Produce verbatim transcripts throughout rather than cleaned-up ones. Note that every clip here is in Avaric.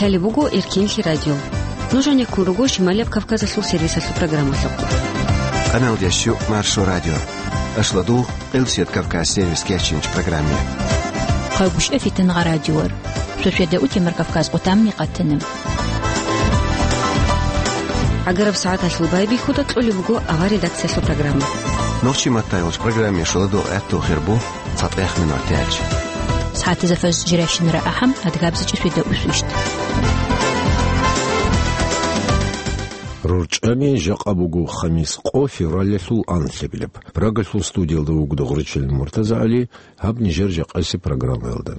Лъалеб буго Эркенлъи радио. Нуж гьанеккун руго Шималияб Кавказалъул сервисалъул программалъухъ. Къаналдящу Маршо радио. Ашладу Къилсият Кавказ сервис кечинч программе. Хъагушев Фитнагъа радиор. Шошведа утемар Кавказ къутамни къатана. ГӀагараб сагӀаталъул байбихьуда кьолеб буго авар редакциялъул программа. Нохчи маттайолч программе шоладо гӀатту хирбу цатӀех минутач. СагӀатазда фаз жиращинара ахӀам адгабзичӀи шведа усвищт. РорчӀами жакъа буго хамис къо февралалъул анлъабилеб. Прагалъул студиялда вуго Дугъричил МуртазагӀали. Гьаб нижер жакъаси программаялда.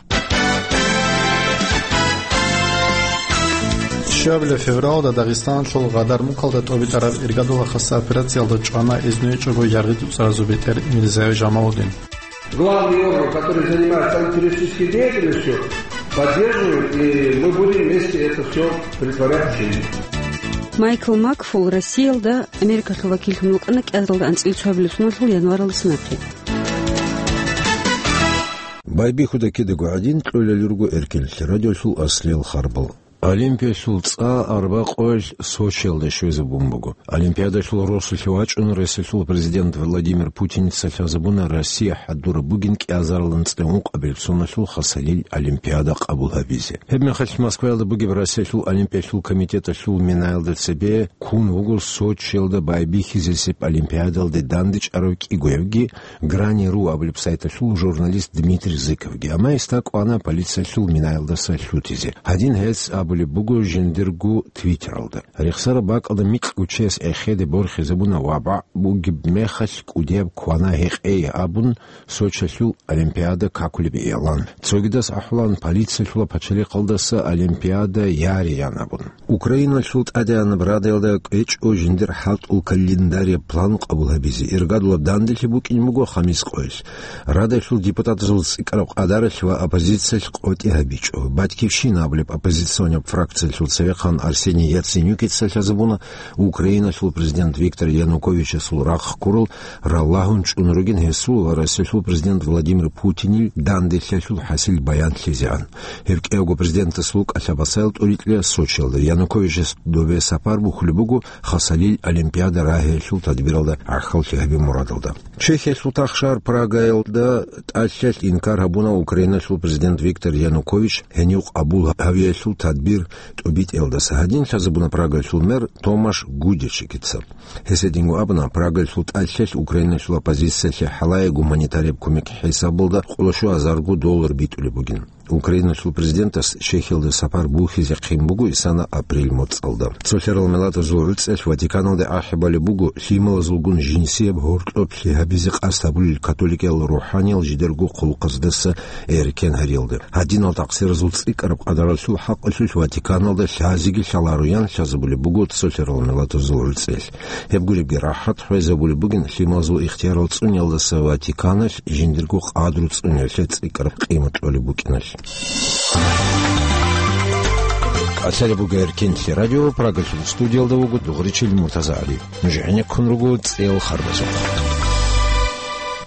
Щуабилеб февралда Дагъистаналъул Гъадармукалда тӀобитӀараб иргадула хаса операциялда чӀвана изнугьечӀого яргъи цӀуцӀаразул бетӀер Мирзаев Жамалудин. Главный орган, который занимается антитеррористической деятельностью, поддерживаем, и мы будем вместе это всё претворять в жизнь. Майкл Макфул Россиялда Америкалъул вакиллъун вукӀана кӀиазаралда анцӀила цоабилеб соналъул январалдаса нахъе. Байбихьуда кидаго гӀадин кьолел руго Эркенлъи радиолъул аслиял харбал. Олимпиялъул цӀа арба къоялъ Сочиялда щвезабун буго. Олимпиадалъул росулъе вачӀун Россиялъул президент Владимир Путиница лъазабуна Россия хӀадураб бугин кӀиазаралда анцӀила ункъабилеб соналъул хасалил Олимпиада къабул гьабизе. Гьеб мехалъ Москваялда бугеб Россиялъул Олимпиялъул комитеталъул минаялда цебе ккун вуго Сочиялда байбихьизесеб Олимпиадалде дандечӀарав кӀигоябги Грани ру абулеб сайталъул журналист Дмитрий Зыковги, амма гьесда кӀвана полициялъул минаялдаса лъутизе. Гьадин гьес абулеб буго жиндирго Твиттералда. Рехсараб бакӀалда микьго чияс эхеде борхизабуна ва бакъ бугеб мехалъ кӀудияб квана гьекъей абун, Сочиялъул Олимпиада какулеб иялан. Цогидас ахӀулан полициялъула пачалихъалдаса Олимпиада яриян абун. Украиналъул ТӀадегӀанаб Радаялда кӀвечӀо жиндир хӀалтӀул календарияб план къабул гьабизе. Иргадулаб данделъи букӀин буго хамис къоялъ. Радалъул депутатазул цӀикӀкӀараб къадаралъ ва оппозициялъ къотӀи гьабичӀо. «Батькивщина» абулеб оппозиционаб фракциялъул цевехъан Арсений Яценюкица лъазабуна Украиналъул президент Виктор Януковичасул рахъ ккурал, ралагьун чӀун ругин гьесул ва Россиялъул президент Владимир Путинил данделъиялъул хӀасил баянлъизегӀан. Гьеб кӀиявго президентасул кӀалъабасаял тӀоритӀлъи Сочиялда, Януковичас добе сапар бухьулеб буго хасалил Олимпиада рагьиялъул тадбиралда гӀахьаллъи гьабизе мурадалда. Чехиялъул тахшагьар Прагаялда тӀалъиялъ инкар гьабуна Украиналъул президент Виктор Янукович гьенив къабул гьавиялъул тадбир тӀубитӀиялдаса. Гьадин лъазабуна Прагаялъул мэр Томаш Гудечикица. Гьес гьединго абуна, Прагаялъул тӀалъиялъ Украиналъул оппозициялъе хӀалае гуманитарияб кумек хӀисабалда къоло щуазарго доллар битӀулеб бугин. Украиналъул президентас Чехиялда сапар бухьизе хъин буго исана апрель моцӀалда. Цолъарал миллатазул гӀуцӀиялъ Ватиканалде ахӀи балеб буго лъималазулгун жинсияб гьоркьоб лъи гьабизе къасд гьабулел католикиял рухӀаниял жидерго хъулухъаздаса эркен гьариялда. Гьадинал такъсиразул цӀикӀкӀараб къадаралъул хӀакъалъулъ Ватиканалда лъазеги лъалароян лъазабулеб буго цолъарал миллатазул гӀуцӀиялъ. Гьеб гуребги рахӀат хвезабулеб бугин лъималазул ихтиярал цӀуниялдаса Ватиканалъ жиндирго къадру цӀуниялъе цӀикӀкӀараб къимат кьолеб букӀиналъ. Лъалеб буго Эркенлъи радио, Прагалъул студиялда вуго Дугъричил МуртазагӀали. Нуж гӀенеккун руго цӀел харбазухъ.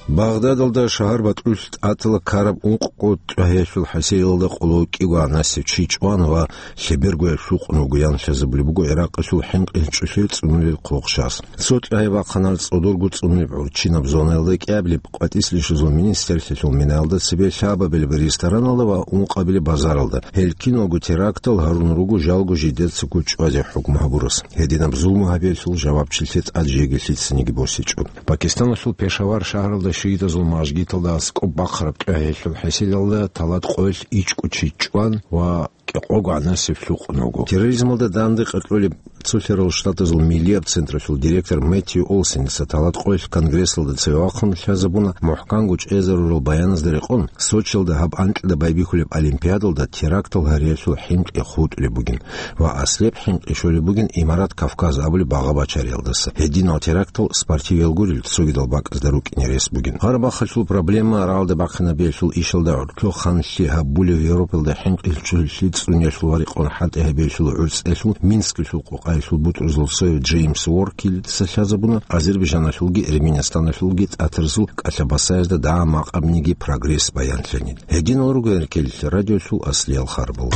Багъдадалда шагьар бакьулъ тӀатала ккараб ункъго тӀагьиялъул хӀасилалда къоло кӀиго гӀанасев чи чӀван ва лъебергояв лъукъун вугоян лъазабулеб буго Иракъалъул хӀинкъи чӀухӀи цӀунулел хъулухъ шагьаралъ. Цо тӀагьи вахъана цӀодорго цӀунулеб гӀурччинаб зонаялда кӀиабилеб къватӀислъи щвезул министрлъиялъул минаялда цебе лъабабилеб рестораналда ва ункъабилеб базаралда. Гьел киналго терактал гьарун руго жалго жидецаго чӀвазе хӀукму гьабурас. Гьединаб зулму гьабиялъул жавабчилъи тӀад жеги лъицаниги босичӀо. Пакистаналъул Пешавар шагьаралда шиитазул мажгиталда аскӀоб бахъараб тӀагьиялъул хӀасилалда талат къоялъ ичӀго чи чӀван ва кӀикъого гӀанасев лъукъун вуго. Терроризмалда данде къаркьолеб Цолъарал Штатазул Миллияб централъул директор Мэтью Олсеница талат къоялъ Конгрессалда цеве вахъун лъазабуна, мухӀканго чӀезарурал баяназда рекъон, Сочиялда гьаб анкьида байбихьулеб Олимпиадалда терактал гьариялъул хӀинкъи хутӀулеб бугин ва аслияб хӀинкъи щолеб бугин Имарат Кавказ абулеб багъа бачариялдаса. Гьединал терактал спортивиял гурел цогидал бакӀазда рукӀине рес бугин. Гъарабахъалъул проблема рагӀалде бахъинабиялъул ишалда гӀуртлу ханлъи гьабулев Европалда хӀинкъи чӀухӀи цӀуниялъул ва рекъон хӀалтӀи гьабиялъул гӀурцӀиялъул Минскалъул къокъаялъул бутӀрузул цояв Джеймс Уоркилица лъазабуна Азербайжаналъулги Эрменистаналъулги тӀатарзул кӀалъабасаязда дагьа-макъабниги прогресс баянлъани. Гьединал руго Эркенлъи радиолъул аслиял харбал.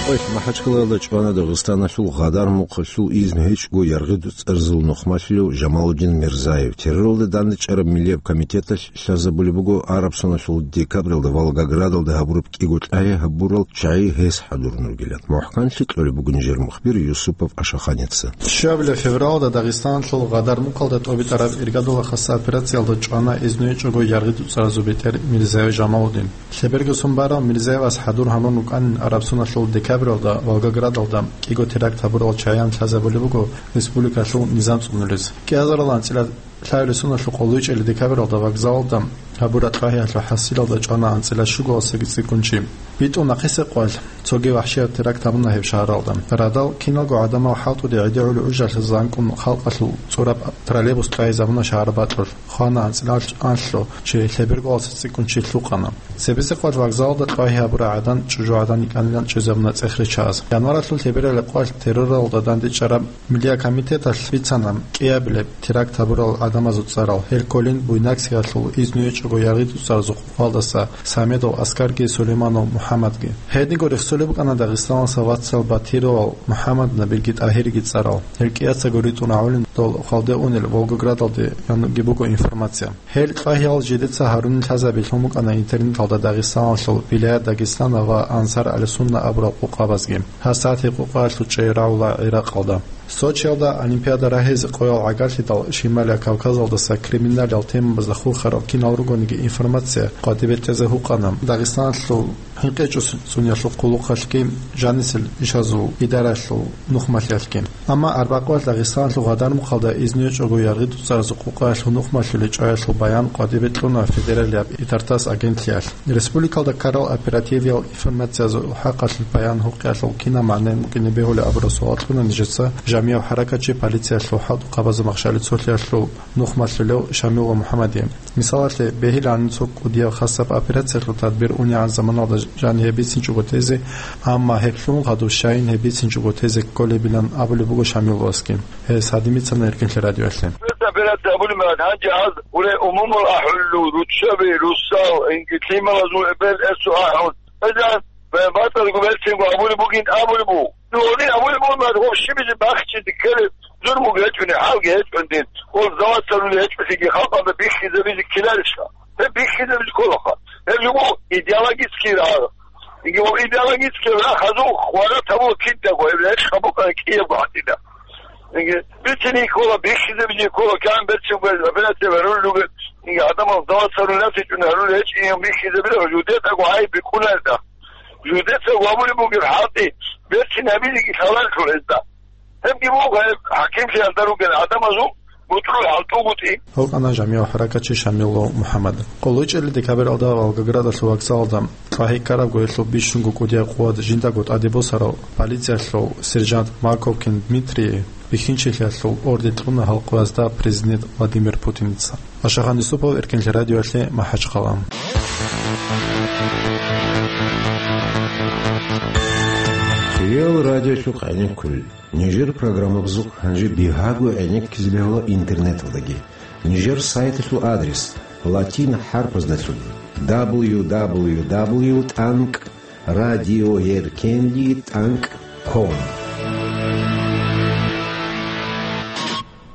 МахӀачкъалаялда чӀвана Дагъистаналъул Гъадар мухъалъул изну гьечӀого яргъи дуцӀарзул нухмалъулев Жамалудин Мирзаев. Терроралда дандечӀараб миллияб комитеталъ лъазабулеб буго араб соналъул декабралда Волгоградалда гьабураб кӀиго кьагьи гьабурал чагӀи гьес хӀадурун ругилан. МухӀканлъи кьолеб буго нижер мухбир Юсупов Ашаханица. Щуабилеб февралда Дагъистаналъул Гъадар мухъалда тӀобитӀараб иргадула хасса операциялда чӀвана изну гьечӀого яргъи дуцӀаразул бетӀер Мирзаев Жамалудин. Лъеберго сон барав Мирзаевас хӀадур гьабун рукӀанин араб соналъул декабралда Волгоградалда кӀиго теракт гьабурал чагӀиян лъазабулеб буго республикалъул низам цӀунулез. КӀиазарал анцӀила лъабилеб соналъухъ гьури чӀели декабралда вокзалалда гьабураб кьагьиялъул хӀасилалда чӀвана анцӀила щуго васаги цӀикӀкӀун чи. БитӀун нахъисеб къоялъ цоги вахӀшияб теракт гьабуна гьеб шагьаралда. Радал киналго гӀадамал хӀалтӀуде гӀедегӀулеб гӀужалъе занкӀун халкъалъул цӀураб троллейбус кьвагьизабуна шагьар бакьулъ. Хвана анцӀила анлъго чи, лъеберго васаги цӀикӀкӀун чи лъукъана. Цебесеб къоялъ вокзалалда кьвагьи гьабурал гӀадан чӀужугӀадан йикӀанилан чӀезабуна цӀех риччазе. Январалъул лъебералеб къоялъ терроралда дандечӀараб Миллияб комитеталъ бицана кӀиабилеб теракт гьабурал гӀадамазул цӀарал. Гьел кколин Буйнакскиялъул изну гьечӀого яргъи дуцӀаразул къукъалдаса Самедов Аскарги Сулейманов МухӀаммадги. Гьединго рехсолеб букӀана Дагъистаналдаса вацал Батировал МухӀаммадна Бирги ТӀагьирги цӀарал. Гьел кӀияцаго ритӀун рагӀулин дол хвалде унел Волгоградалде, яги буго информация. Гьел кьвагьиял жидеца гьарунин лъазабилъун букӀана интернеталда Дагъистаналъул Вилаят Дагъистана ва Ансар аль-Сунна абурал къукъабазги. Гьасатги къукъаялъул чӀей рагӀула ГӀиракъалда. Сочиялда Олимпиада рагьизе къоял гӀагарлъидал Шималияб Кавказалдаса криминалиял темабазда хурхарал кинал ругониги информация къватӀибе тӀезе гьукъана Дагъистаналъул ХӀинкъичӀого цӀунялъул хъулухъалъги, жанисел ишазул идараялъул нухмалъиялъги. Амма арбакъоялъ Дагъистаналъул Гъадармухъалда изну гьечӀого яргъи дуцӀаразул къукъаялъул нухмалъулел чӀваялъул баян къватӀибе кьуна федералияб ИТАР-ТАСС агентлъиялъ. Республикалда ккарал оперативиял информациязул хӀакъалъулъ баян гьукъиялъул кинаб магӀна букӀине бегьулеб абураб суал кьуна нижеца Жамигьаб хӀаракатчи полициялъул хӀалтӀухъабазул махщалил цолъиялъул нухмалъулев Шамилов МухӀаммаде. Мисалалъе, бегьилани цо кӀудияб хасаб операциялъул тадбир унегӀан заманалда жаниб гьеб бицинчӀого тезе, амма гьеб лъун хадуб щайин гьеб бицинчӀого тезе кколебилан абулеб буго Шамиловасги. Гьес гьадин бицана Эркенлъи радиоялъе. Операция абулеб мехалъ, гьанже гьаз уре умумул ахӀуллу, руччаби, русал, инги лъималазул эбел-эсул ахӀун. Гьезан батӀалго берцинго абулеб бугин абулеб буго. Ну, гьедин абулеб бугин, мад, гъоб щибизе бахчизе ккелеб зурмуги гьечӀони, хӀалги гьечӀони дин. Гъол завод цӀалулел гьечӀолъиги халкъалда бихьизабизе ккеларищха? Гьеб бихьизабизе кколаха. Гьеб жо буго идеологический рагӀи. Инги ва идеологический рагӀи хадуб хварат гьабула кидаго, гьеб гьечӀ гьабукъана кӀиябго гьатӀида. Инги бицине ккола, бихьизабизе ккола, кигӀан берцинго операция гьарулел ругел, инги гӀадамал завод цӀалулел гьечӀони гьарулел гьечӀин бихьизабила, жудетӀаго гӀайиб бикьуларда. Жудеца гьабулеб бугеб хӀалтӀи берцин гьабизеги лъаларелъул гьезда. Гьебги буго гьеб хӀакимлъиялда ругел гӀадамазул бутӀрул хӀалтӀугутӀи. Гьукъана Жамигьаб хӀаракатчи Шамилов МухӀаммад. ХъулучӀели декабралда Волгоградалъул вокзалалда кьвагьи ккарабго гьелъул бищунго кӀудияб къуват жиндаго тӀаде босарав полициялъул сержант Марковкин Дмитрий бихьинчилъиялъул орден кьуна гьал къоязда президент Владимир Путиница. Ашахан Юсупов, Эркенлъи радиоялъе, МахӀачхъала. Кирил радиолъухъ гӀенеккулел. Нижер программабазухъ гьанже бигьаго гӀенеккизе бегьула интернеталдаги. Нижер сайталъул адрес латин хӀарпаздалъун: дабл ю дабл ю дабл ю тӀанкӀ радиоэркенлъи тӀанкӀ ком.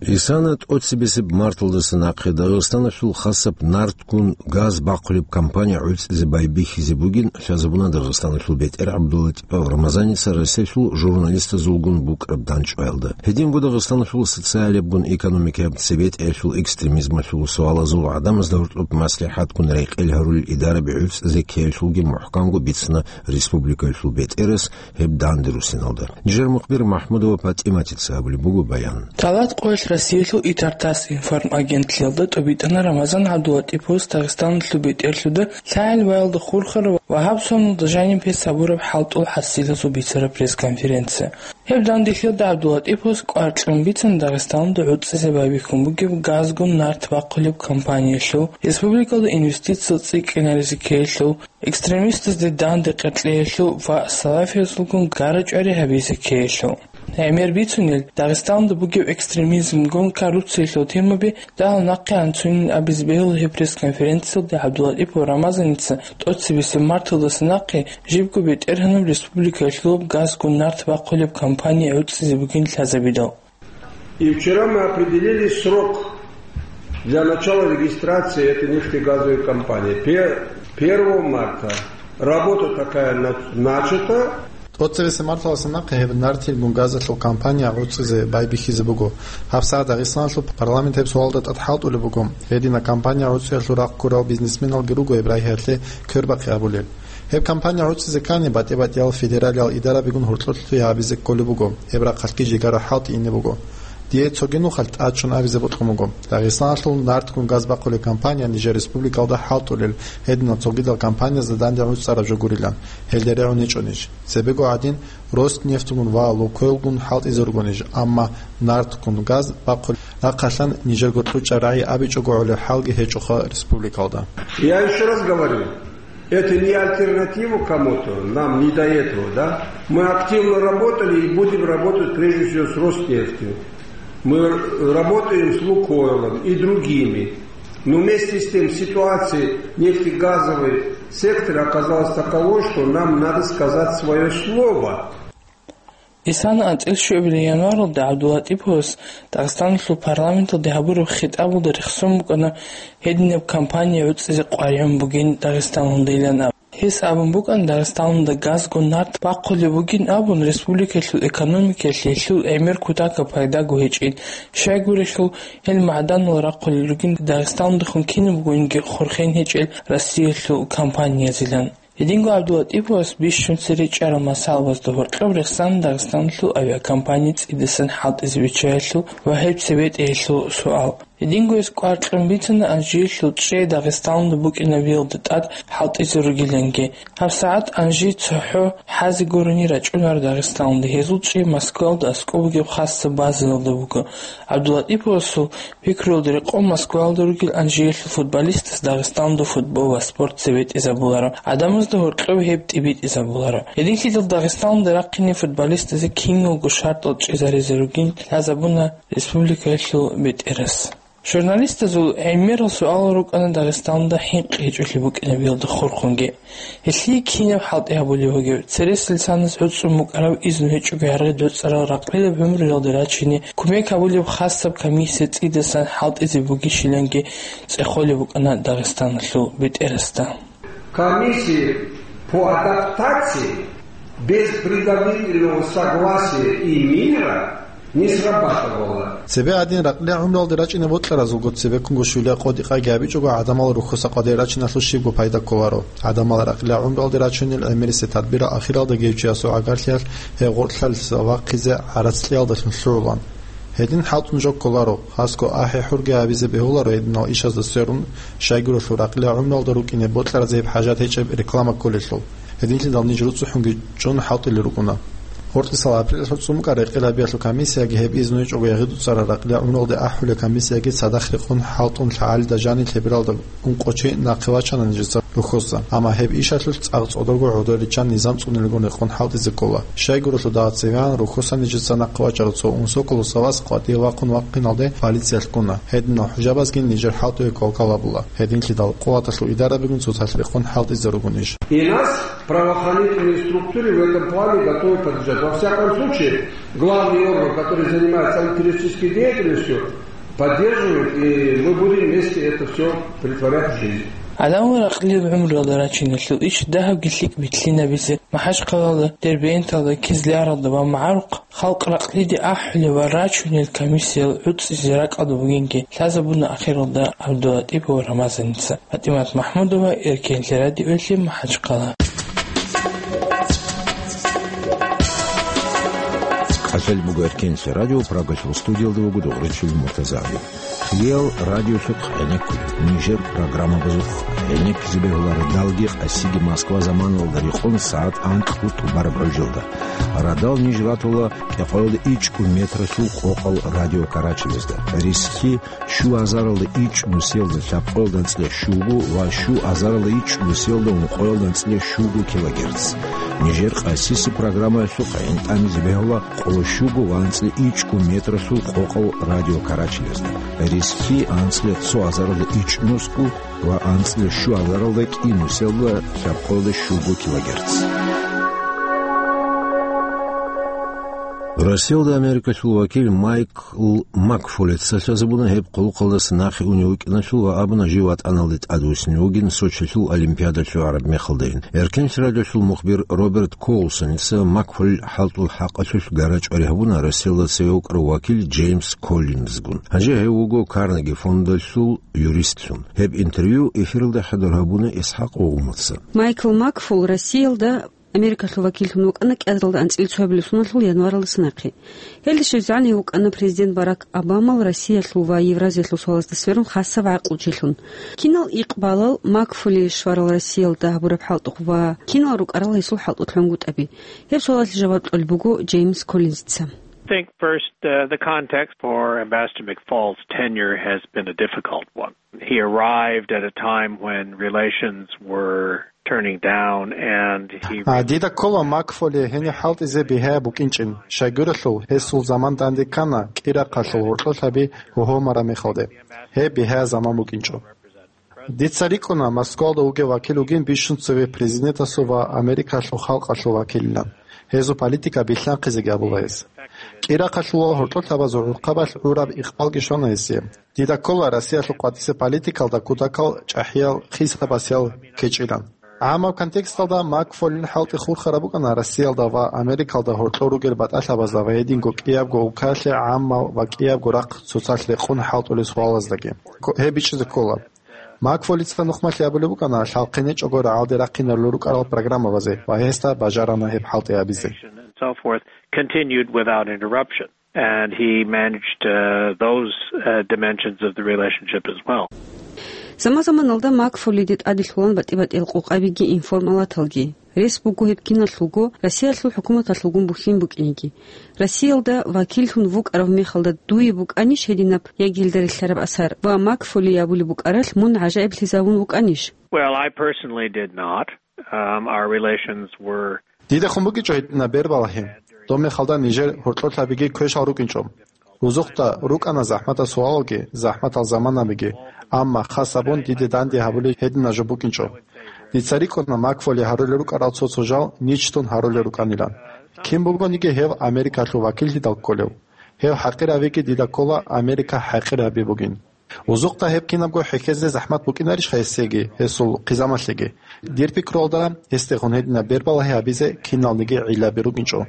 Исана тӀоцебесеб марталдаса нахъе Дагъистаналъул хасаб нартгун газ бахъулеб компания гӀуцӀизе байбихьизе бугин лъазабуна Дагъистаналъул бетӀер ГӀабдуллатӀипов Рамазаница Россиялъул журналистазулгун букӀараб дандчӀваялда. Гьединго Дагъистаналъул социалиябгун экономикаяб цебетӀеялъул экстремизмалъул суалазул гӀадамазда гьоркьоб маслихӀатгун рекъел гьарулел идараби гӀуцӀизе ккеялъулги мухӀканго бицана республикаялъул бетӀерас гьеб данде руссиналда. Нижер мухбир МахӀмудова ПатӀиматица гьабулеб буго баян. Талат къоялъ Россиялъул ИТАР-ТАСС информагентлъиялда тӀубитӀана Рамазан ГӀабдуллатӀиповас Дагъистаналъул бетӀерлъуда лъагӀел ваялда хурхараб ва гьаб соналда жаниб гьес гьабураб хӀалтӀул хӀасилазул бицараб пресс-конференция. Гьеб данделъиялда ГӀабдуллатӀиповас кӀвар кьун бицана Дагъистаналда гӀуцӀизе байбихьун бугеб газгун нарт бахъулеб компаниялъул, республикалда инвестициял цӀикӀкӀинаризе ккеялъул, экстремистазде данде къеркьеялъул ва салафиязулгун гара-чӀвари гьабизе ккеялъул. ГӀемер бицунел, Дагъистанда бугеб экстремизмгун коррупциялъул темаби дагьал нахъе анцунин абизе бегьула гьеб пресс-конференциялда ГӀабдуллатӀипов Рамазаница тӀоцебесеб марталдаса нахъе жибго бетӀергьанаб республикаялъулаб газгун нарт бахъулеб кампания гӀуцӀизе бугин лъазабидал. И вчера мы определили срок для начала регистрации этой нефтегазовой компании. Пе-, первого марта работа такая на-, начата. ТӀоцебесеб марталдаса нахъе гьеб нартил гун газалъул кампания гӀуцӀизе байбихьизе буго. ГьабсагӀат Дагъистаналъул парламент гьеб суалда тӀад хӀалтӀулеб буго. Гьединаб кампания гӀуцӀиялъул рахъ ккурал бизнесменалги руго гьеб рагьиялъе квербахъи абулел. Гьеб кампания гӀуцӀизе ккани, батӀи-батӀиял федералиял идарабигун гьоркьорлъи гьабизе кколеб буго, гьеб рахъалъги жигара хӀалтӀи ине буго. Дие цоги нухалъ тӀадчӀун абизе бокьун буго. Дагъистаналъул нартгун газ бахъулеб кампания нижер республикалда хӀалтӀулел, гьединал цогидал кампаниязда данде гӀуцӀараб жо гурилан, гьелде регӀун гьечӀонищ. Цебего гӀадин, Роснефтгун ва Лукойлгун хӀалтӀизе ругонищ, амма нартгун газ бахъулеб рахъалъан нижерго кьучӀаб рагӀи абичӀого гӀолеб хӀалги гьечӀоха республикалда. Я ещё раз говорю, это не альтернатива кому-то, нам не до этого, да? Мы активно работали и будем работать прежде всего с Роснефтью. Мы работаем с Лукойлом и другими. Но вместе с тем ситуация в нефтегазовой секторе оказалась таковой, что нам надо сказать своё слово. Исана анцӀила щуабилеб январалда ГӀабдуллатӀиповас Дагъистаналъул парламенталде гьабураб хитӀабалда рехсон букӀана гьединаб кампания гӀуцӀизе къваригӀун бугин Дагъистаналдайилан аб. Гьес абун букӀана, Дагъистаналда газгун нарт бахъулеб бугин абун, республикалъул экономикаялъе гьелъул гӀемер кутакаб пайдаго гьечӀин, щайгурелъул гьел магӀданал рахъулел ругин Дагъистаналдехун кинабгониги хурхен гьечӀел Россиялъул компаниязилан. Гьединго ГӀабдуллатӀиповас бищун цере чӀарал масъалабазда гьоркьоб рехсана Дагъистаналъул авиакомпания цӀидасан хӀалтӀизе биччаялъул ва гьеб цебетӀеялъул суал. Гьединго гьес кӀвар кьун бицана Анжиялъул чӀей Дагъистаналда букӀинабиялда тӀад хӀалтӀизе ругиланги. ГьабсагӀат Анжи цохӀо хӀазе гурони рачӀунаро Дагъистаналда, гьезул чӀей Москваялда аскӀоб бугеб хасаб базаялда буго. ГӀабдуллатӀиповасул пикруялда рекъон Москваялда ругел Анжиялъул футболистас Дагъистаналда футбол ва спорт цебетӀезабуларо, гӀадамазда гьоркьоб гьеб тӀибитӀизабуларо. Гьединлъидал Дагъистаналда рахъине футболистазе киналго шартӀал чӀезаризе ругин лъазабуна республикаялъул бетӀерас. Журналистазул гӀемерал суалал рукӀана Дагъистаналда хӀинкъи гьечӀолъи букӀинабиялда хурхунги. Гьелъие кинаб хӀалтӀи гьабулеб бугеб? Цересел санас гӀуцӀун букӀараб изну гьечӀого гьаргӀи доцӀарал ракълилаб гӀумруялда рачине кумек гьабулеб хасаб комиссия цӀидасан хӀалтӀизе бугищиланги цӀехолеб букӀана Дагъистаналъул бетӀерасда. Комиссия по адаптации без предварительного согласия и мира не срабатывала. Цебе гӀадин, ракълила гӀумруялде рачӀине бокьаразулго цебеккунго щулияб къо-дикъаги гьабичӀого, гӀадамал рухьуса къваде рачиналъул щибго пайда кколаро. ГӀадамал ракълила гӀумруялде рачунел гӀемерисел тадбирал ахиралда гьев чиясул гӀагарлъиялъ гьеб гъоркьлъалъ вахъизе гӀарац кьиялдалъун лъугӀулан. Гьедин хӀалтӀун жо кколаро, хасго ахӀи-хӀурги гьабизе бегьуларо гьединал ишазда сверун, щайгурелъул ракълила гӀумруялда рукӀине бокьаразе гьеб хӀажат гьечӀеб реклама кколелъул. Гьединлъидал ниж руцӀцӀухӀунги чӀун хӀалтӀулел рукӀуна. Гьоркьисал апрелалъул цӀун букӀарай къилабиялъул комиссияги гьеб изну гьечӀого ягъи дуцӀарал ракълила гӀумруялде ахӀулел комиссияги цадахъ рекъон хӀалтӀун лъагӀалида жанил лъебералда ункъо чи нахъе вачана нижеца рухьоса, амма гьеб ишалъулъ цӀакъ цӀодорго гӀодор риччан низам цӀунилагун рекъон хӀалтӀизе ккола. Щайгурелъул дагьа цевегӀан рухьоса нижеца нахъе вачарав цо унсоколо савас къватӀиве вахъун вахъиналде полициялъ ккуна. Гьединал хӀужабазги нижер хӀалтӀуе квалквал гьабула. Гьединлъидал къуваталъул идарабигун цоцалъ рекъон хӀалтӀизе ругонищ. И нас правоохранительные структуры в этом плане готовы поддержать. Во всяком случае, главный орган, который занимается антитеррористической деятельностью, поддерживает, и мы будем вместе это всё претворять в жизнь. ГӀадамал ракълил гӀумруялда рачиналъул иш дагьабги лъикӀ битлъинабизе МахӀачхъалалда, Дербенталда, Кизляралда ва магӀарухъ халкъ ракълиде ахӀулел ва рачунел комиссиял гӀуцӀизе ракӀалда бугинги лъазабуна ахиралда ГӀабдуллатӀипов Рамазаница. ПатӀимат МахӀмудова, Эркенлъи радиоялъе, МахӀачхъала. КӀалъалеб буго Эркенлъи радио, Прагалъул студиялда вуго Дугъричил МуртазагӀиев. Хириял радиолъухъ гӀенеккула, нижер программабазухъ гӀенеккизе бегьула радалги къасиги Москва заманалда рекъон сагӀат анкьго тӀубараб гӀужилда. Радал ниж ратула кӀикъоялда ичӀго метралъул къокъал радио карачелезда. Рисхьи щу азаралда ичӀго нусиялда лъабкъоялда анцӀила щуго ва щу азаралда ичӀго нусиялда ункъоялда анцӀила щуго килогерц. Нижер къасиса программаялъухъ гӀинтӀамизе бегьула къо щуго ва анцӀила ичӀго метралъул къокъал радиокарачелазда, ресги анцӀила цо азаралда ичӀнусго ва анцӀила щу азаралда кӀинусиялда лъабкъоялда щуго килогерц. Россиялда Америкалъул вакил Майкл Макфолица лъазабуна гьеб къулухъалдаса нахъе унев вукӀиналъул ва абуна жив ватӀаналде тӀадвуссине вугин Сочилъул Олимпиадалъуве гӀараб мехалдайин. Эркенлъи радиолъул мухбир Роберт Колсоница Макфолил хӀалтӀул хӀакъалъулъ гара-чӀвари гьабуна Россиялда цеве вукӀарав вакил Джеймс Коллинзгун. Гьанже гьев вуго Карнеги фондалъул юристлъун. Гьеб интервью эфиралда хӀадур гьабуна ИсхӀакъ Умаца. Майкл Макфол Россиялда Америкалъул вакиллъун вукӀана кӀиазаралда анцӀила цоябилеб соналъул январалдаса нахъе. Гьелде щвезегӀан гьев вукӀана президент Барак Обамал Россиялъул ва Евразиялъул суалазда сверун хасаб гӀакълучилъун. Кинал икъбалал Макфоли щварал Россиялда гьабураб хӀалтӀухъ ва кинал рукӀарал гьесул хӀалтӀухъ лъунгутӀаби? Гьеб суалалъе жаваб кьолеб буго Джеймс Коллинзица. I think first, uh, the context for Ambassador McFaul's tenure has been a difficult one. He arrived at a time when relations were turning down and he А, дида ккола Макфоли гьениб хӀалтӀизе бигьаяб букӀинчӀин, щайгурелъул гьесул заман данде ккана кӀирахъалъул гьоркьолъаби гьогьомараб мехалде. Гьеб бигьаяб заман букӀинчӀо. Дица рикӀкӀуна Москвалда вугев вакил вугин бищун цеве президентасул ва Америкалъул халкъалъул вакилилан. Гьезул политика билълъанхъизеги абула гьес. КӀирахъалъул гьоркьолъабазул гӀурхъабалъ гӀураб икъбалги щвана гьесие. Дида ккола Россиялъул къватӀисеб политикалда кутакал чӀахӀиял хисабасиял кечӀилан. ГӀаммаб контексталда Макфолин хӀалтӀи хурхараб букӀана Россиялда ва Америкалда гьоркьор ругел батӀалъабазда ва гьединго кӀиябго улкалъе гӀаммал ва кӀиябго рахъ цоцалъ рекъон хӀалтӀулел суалаздаги. Ко-, гьеб бичӀчӀизе ккола. Макфолица нухмалъи абулеб букӀана лъалхъенечӀого рагӀалде рахъиналъул рукӀарал программабазе ва гьесда бажарана гьеб хӀалтӀи абизе. And so forth continued without interruption. And he managed, uh, those, uh, dimensions of the relationship as well. Заман-заманалда Макфолиде тӀаделъулан батӀи-батӀиял къокъабиги информалаталги. Рес буго гьеб киналъулго Россиялъул хӀукуматалъулгун бухьин букӀинги. Россиялда вакиллъун вукӀарав мехалда дуе букӀанищ гьединаб яги гьелда релълъараб асар ва Макфоли абулеб букӀаралъ мун гӀажаиблъизавун вукӀанищ? Well, I personally did not. Um, our relations were Дидехун букӀинчӀо гьединаб бербалагьи. Доб мехалда нижер гьоркьолъабиги квешал рукӀинчӀо. Рузухъда рукӀана захӀматал суалалги, захӀматал заманабиги, амма хас абун диде данде гьабулеб гьединаб жо букӀинчӀо. Дица рикӀкӀуна Макфоли гьарулел рукӀарал цо-цо жал ничтун гьарулел рукӀанилан. Кин бугониги гьев Америкалъул вакиллъидал кколев. Гьев хӀакъир гьавиги дида ккола Америка хӀакъир гьаби бугин. Рузухъда гьеб кинабго хӀехьезе захӀмат букӀинарищха гьесеги, гьесул хъизамалъеги? Дир пикруялда, гьесдехун гьединаб бербалагьи гьабизе киналниги гӀиллаби рукӀинчӀо.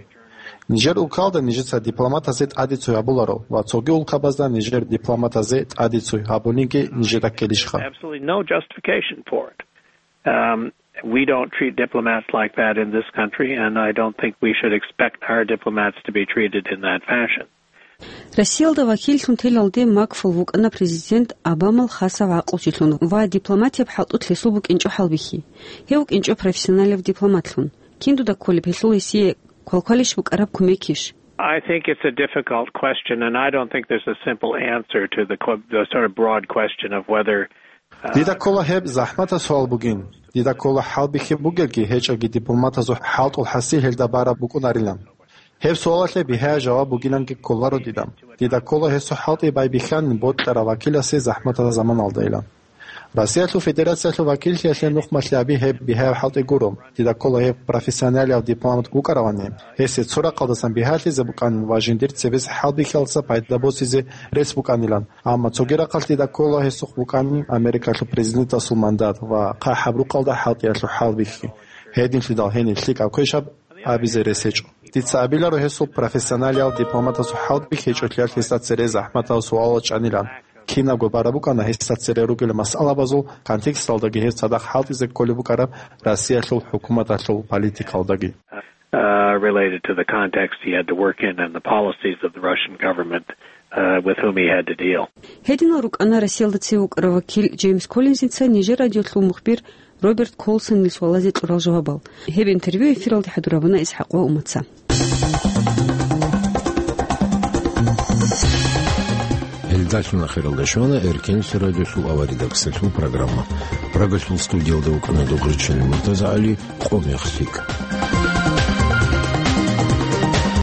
Нижер улкалда нижеца дипломатазе тӀадицуй гьабуларо ва цоги улкабазда нижер дипломатазе тӀадицуй гьабулинги нижеда ккелищха? Absolutely no justification for it. Um, we don't treat diplomats like that in this country, and I don't think we should expect our diplomats to be treated in that fashion. Россиялда вакиллъун телалде Макфол вукӀана президент Обамал хасав гӀакълучилъун ва дипломатияб хӀалтӀулъ гьесул букӀинчӀо хӀалбихьи. Гьев вукӀинчӀо профессионалав дипломатлъун. Кин дуда кколеб гьелъул гьесие квалквалищ букӀараб кумекищ? I think it's a difficult question, and I don't think there's a simple answer to the, que- the sort of broad question of whether, uh, Дида ккола гьеб захӀматаб суал бугин. Дида ккола хӀалбихьи бугелги гьечӀелги дипломатазул хӀалтӀул хӀасил гьелда бараб букӀунарилан. Гьеб суалалъе бигьа жаваб бугиланги кколаро дида. Дида ккола гьесул хӀалтӀи байбихьанин бокьарав вакиласе захӀматаб заманалдайилан. Россиялъул Федерациялъул вакиллъиялъе нухмалъи гьаби гьеб бигьаяб хӀалтӀи гуро. Дида ккола гьев профессионалияб дипломат вукӀаравани, гьесие цо рахъалдасан бигьалъизе букӀанин ва жиндир цебес хӀалбихьиялдаса пайда босизе рес букӀанилан, амма цоги рахъалъ дида ккола гьесухъ букӀанин Америкалъул президентасул мандат ва хъахӀаб рукъалда хӀалтӀиялъул хӀалбихьи. Гьединлъидал гьениб лъикӀаб квешаб абизе рес гьечӀо. Дица абиларо гьесул профессионалияб дипломатасул хӀалбихьи гьечӀолъиялъ гьесда цере захӀматал суалал чӀанилан. Кинабго бараб букӀана гьесда цере ругел масъалабазул контексталдаги гьев цадахъ хӀалтӀизе кколеб букӀараб Россиялъул хӀукуматалъул политикалдаги. Uh, related to the context he had to work in and the policies of the Russian government, uh, with whom he had to deal. Гьединал рукӀана Россиялда цеве вукӀарав вакил Джеймс Коллинзица нижер радиолъул мухбир Роберт Колсонил суалазе кьурал жавабал. Гьеб интервью эфиралде хӀадур гьабуна ИсхӀакъ ва Умаца. Гьелдалъун ахиралда щвана Эркенлъи радиолъул аваридаксалъул программа. Прагалъул студиялда вукӀана Дугъричилин МуртазагӀали, къо мех лъикӀ.